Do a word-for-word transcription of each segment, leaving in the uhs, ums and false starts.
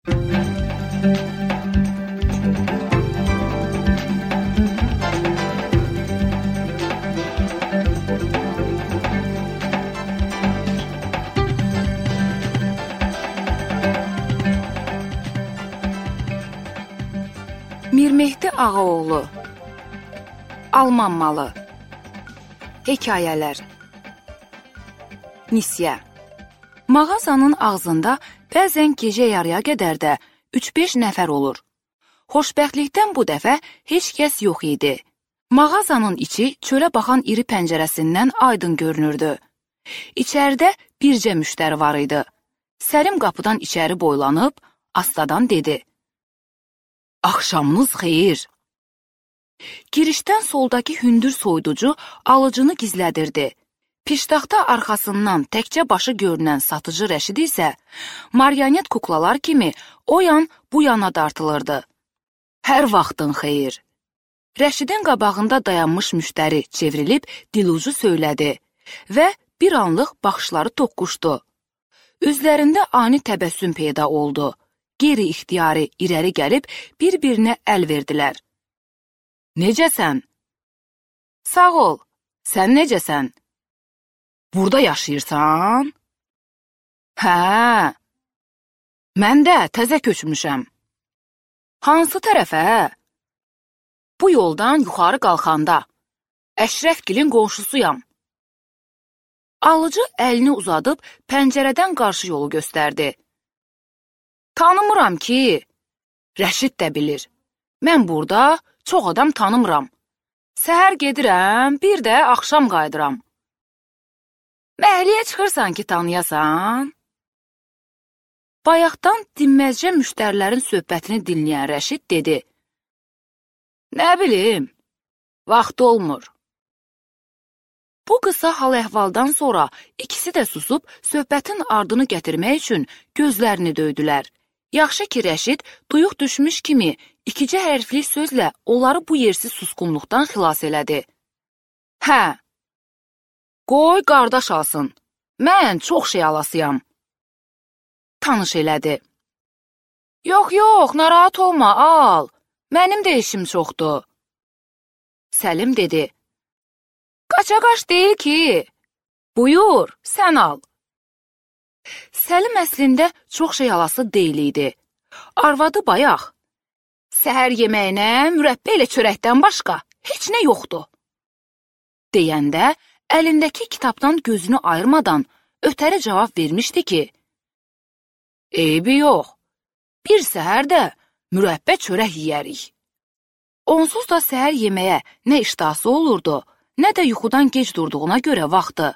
Mirmehdi Ağaoğlu Alman malı Hekayələr Nisyə Mağazanın ağzında bəzən gecə yarıya qədər də üç beş nəfər olur. Xoşbəxtlikdən bu dəfə heç kəs yox idi. Mağazanın içi çölə baxan iri pəncərəsindən aydın görünürdü. İçəridə bircə müştəri var idi. Səlim qapıdan içəri boylanıb, astadan dedi. Axşamınız xeyir. Girişdən soldakı hündür soyuducu alıcını gizlədirdi. Piştaxta arxasından təkcə başı görünən satıcı Rəşid isə marionet kuklalar kimi o yan bu yana dartılırdı. Hər vaxtın xeyir. Rəşidin qabağında dayanmış müştəri çevrilib dilucu söylədi və bir anlıq baxışları toqquşdu. Üzlərində ani təbəssüm peyda oldu. Qeyri-ixtiyari irəli gəlib bir-birinə əl verdilər. Necəsən? Sağ ol, sən necəsən? Burada yaşayırsan? Hə, mən də təzə köçmüşəm. Hansı tərəfə? Bu yoldan yuxarı qalxanda. Əşrəfgilin qonşusuyam. Alıcı əlini uzadıb pəncərədən qarşı yolu göstərdi. Tanımıram ki. Rəşid də bilir. Mən burada çox adam tanımıram. Səhər gedirəm, bir də axşam qayıdıram. Məhliyə çıxırsan ki, tanıyasan? Bayaqdan dinməzcə müştərilərin söhbətini dinləyən Rəşid dedi. Nə bilim, vaxt olmur. Bu qısa hal-əhvaldan sonra ikisi də susub söhbətin ardını gətirmək üçün gözlərini döydülər. Yaxşı ki, Rəşid duyuq düşmüş kimi ikicə hərfli sözlə onları bu yersiz susqunluqdan xilas elədi. Hə, qoy qardaş alsın, mən çox şey alasıyam. Tanış elədi. Yox, yox, narahat olma, al, mənim də işim çoxdur. Səlim dedi. Qaça-qaç deyil ki, buyur, sən al. Səlim əslində çox şey alası deyil idi. Arvadı bayaq. Səhər yeməyinə mürəbbə ilə çörəkdən başqa heç nə yoxdur. Deyəndə əlindəki kitabdan gözünü ayırmadan ötəri cavab vermişdi ki, eybi yox, bir səhər də mürəbbə çörək yeyərik. Onsuz da səhər yeməyə nə iştahsı olurdu, nə də yuxudan gec durduğuna görə vaxtı.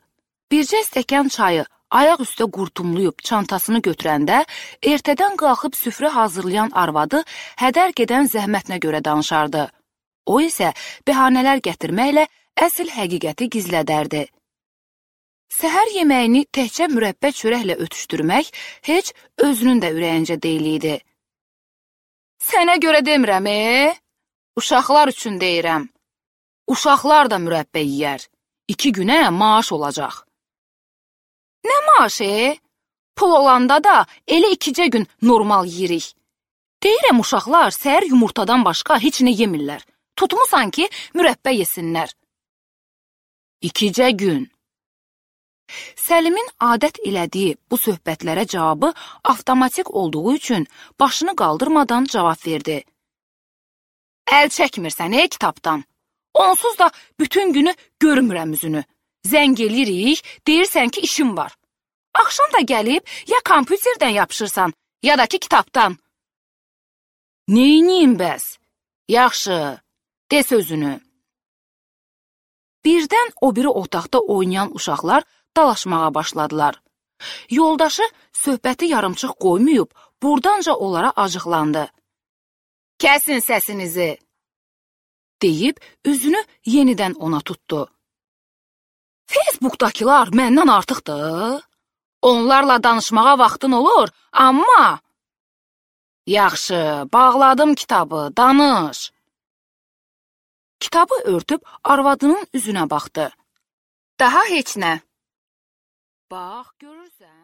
Bircə stəkan çayı ayaq üstə qurtumlayıb çantasını götürəndə, ertədən qalxıb süfrə hazırlayan arvadı hədər gedən zəhmətinə görə danışardı. O isə bəhanələr gətirməklə əsl həqiqəti gizlədərdi. Səhər yeməyini təhcə mürəbbə çörəklə ötüşdürmək heç özünün də ürəyincə deyil idi. Sənə görə demirəm, e? Uşaqlar üçün deyirəm. Uşaqlar da mürəbbə yeyər. İki günə maaş olacaq. Nə maaşı, e? Pul olanda da elə ikicə gün normal yeyirik. Deyirəm, uşaqlar səhər yumurtadan başqa heç nə yemirlər. Tutmusan ki, mürəbbə yesinlər. İkicə gün. Səlimin adət elədiyi bu söhbətlərə cavabı avtomatik olduğu üçün başını qaldırmadan cavab verdi. Əl çəkmirsən, ey kitabdan. Onsuz da bütün günü görmürəm üzünü. Zəng eləyirik, deyirsən ki, işim var. Axşam da gəlib ya kompüterdən yapışırsan, ya da ki, kitabdan. Neyniyim bəs? Yaxşı, de sözünü. Birdən o biri otaqda oynayan uşaqlar dalaşmağa başladılar. Yoldaşı söhbəti yarımçıq qoymayıb, burdanca onlara acıqlandı. Kəsin səsinizi, deyib üzünü yenidən ona tutdu. Facebook'dakılar məndən artıqdır. Onlarla danışmağa vaxtın olur, amma... Yaxşı, bağladım kitabı, danış. Kitabı örtüb arvadının üzünə baxdı. Daha heç nə. Bax, görürsən.